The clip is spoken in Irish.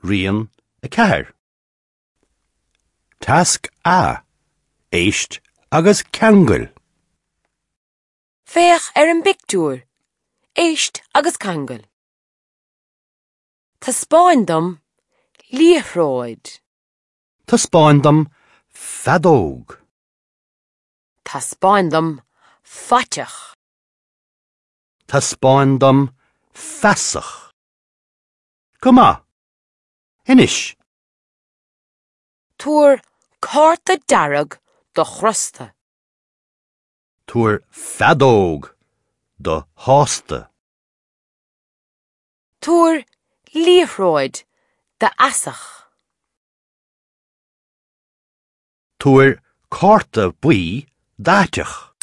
Rian 4. Tasc A, Éist agus ceangail. Féach ar an bpictiúr. Éist agus ceangail. Taispeáin dom liathróid. Taispeáin dom feadóg. Taispeáin dom faiteach. Taispeáin dom feasach. Go maith! Anois. Tabhair cárta dearg do chrosta. Tabhair feadóg do shásta. Tabhair liathróid d'fheasach. Tabhair cárta buí d'fhaiteach.